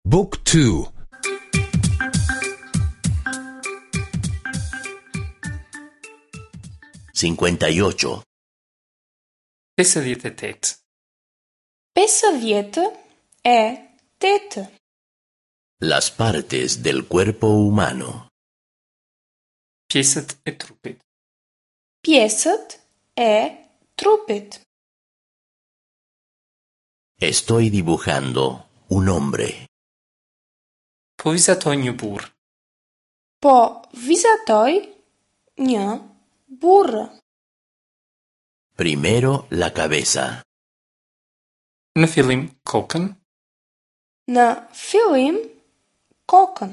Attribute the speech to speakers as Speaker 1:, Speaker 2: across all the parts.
Speaker 1: Book 2
Speaker 2: 58.
Speaker 3: 58.
Speaker 4: 58.
Speaker 2: Las partes del cuerpo humano.
Speaker 3: Pjesët e trupit.
Speaker 4: Pjesët e trupit.
Speaker 2: Estoy dibujando un hombre.
Speaker 3: Po vizatoj një burrë.
Speaker 4: Po vizatoj një burrë.
Speaker 2: Primero la cabeza.
Speaker 3: Në fillim kokën,
Speaker 4: Në fillim kokën.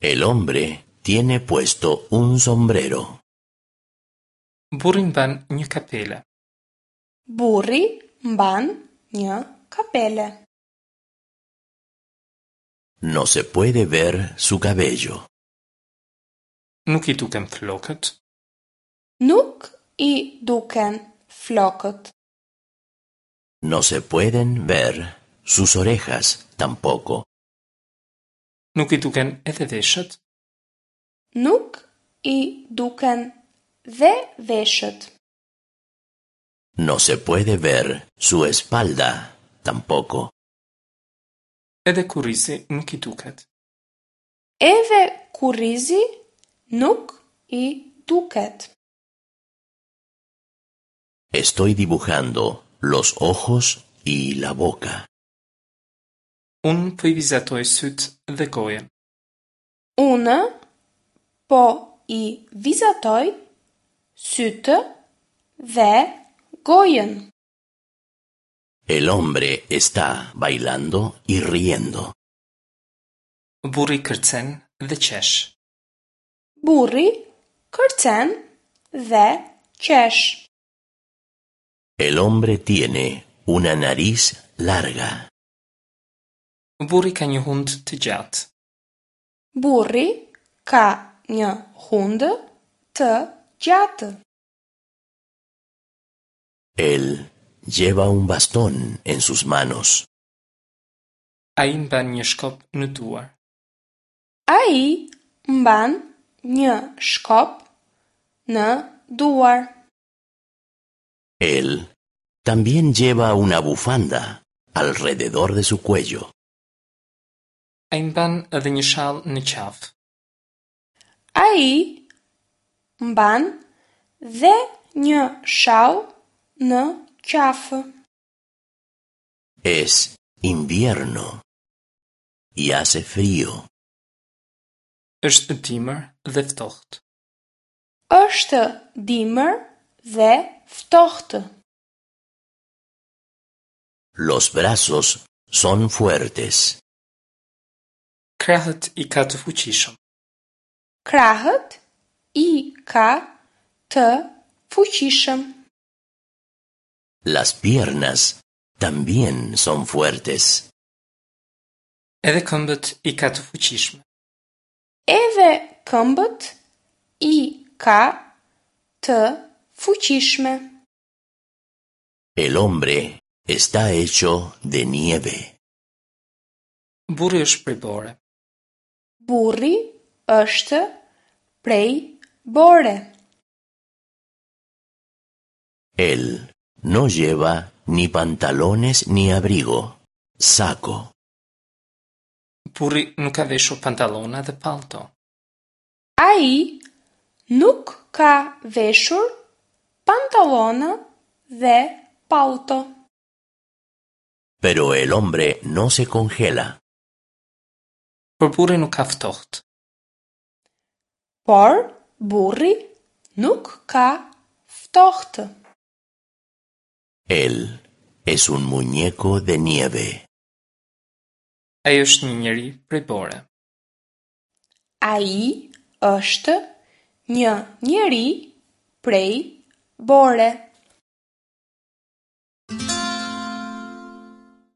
Speaker 2: El hombre tiene puesto un sombrero.
Speaker 3: burri mban një kapele.
Speaker 4: Burri mban një kapele.
Speaker 2: No se puede ver su cabello.
Speaker 3: Nuk i duken flokët,
Speaker 4: Nuk i duken flokët.
Speaker 2: No se pueden ver sus orejas tampoco.
Speaker 3: nuk i duken edhe veshët,
Speaker 4: Nuk i duken dhe veshët.
Speaker 2: No se puede ver su espalda tampoco.
Speaker 3: edhe kurrizi nuk i duket.
Speaker 4: Edhe kurrizi nuk i duket.
Speaker 2: Estoy dibujando los ojos y la boca.
Speaker 3: Unë po i vizatoj sytë dhe gojën.
Speaker 4: Unë po i vizatoj sytë dhe gojën.
Speaker 2: El hombre está bailando y riendo.
Speaker 3: Burri kërcen dhe qesh.
Speaker 4: Burri kërcen dhe qesh.
Speaker 2: El hombre tiene una nariz larga.
Speaker 3: Burri ka një hund të gjatë.
Speaker 4: Burri ka një hundë të gjatë.
Speaker 2: Él lleva un bastón en sus manos.
Speaker 3: Ai mban një shkop në duar.
Speaker 4: Ai mban një shkop në duar.
Speaker 2: Él también lleva una bufanda alrededor de su cuello.
Speaker 3: Ai mban edhe një shall në qafë.
Speaker 4: Ai mban dhe një shall në qafë.
Speaker 2: Es invierno y hace frío.
Speaker 3: Është dimër dhe ftohtë.
Speaker 4: Është dimër dhe ftohtë.
Speaker 2: Los brazos son fuertes.
Speaker 3: Krahët i ka të fuqishëm.
Speaker 4: Krahët i ka të fuqishëm.
Speaker 2: Las piernas también son fuertes.
Speaker 3: Edhe këmbët i ka të fuqishme.
Speaker 4: Edhe këmbët i ka të fuqishme.
Speaker 2: El hombre está hecho de nieve.
Speaker 3: Burri është prej bore.
Speaker 4: Burri është prej bore.
Speaker 2: Él no lleva ni pantalones ni abrigo, saco.
Speaker 3: Burri nuk ka veshur pantallona dhe pallto.
Speaker 4: Ai nuk ka veshur pantallona dhe pallto.
Speaker 2: Pero el hombre no se congela.
Speaker 3: Por burri nuk ka ftohtë.
Speaker 4: Por burri nuk ka ftohtë.
Speaker 2: Él es un muñeco de nieve.
Speaker 3: Ai është një njeri prej bore.
Speaker 4: Ai është një njeri prej bore.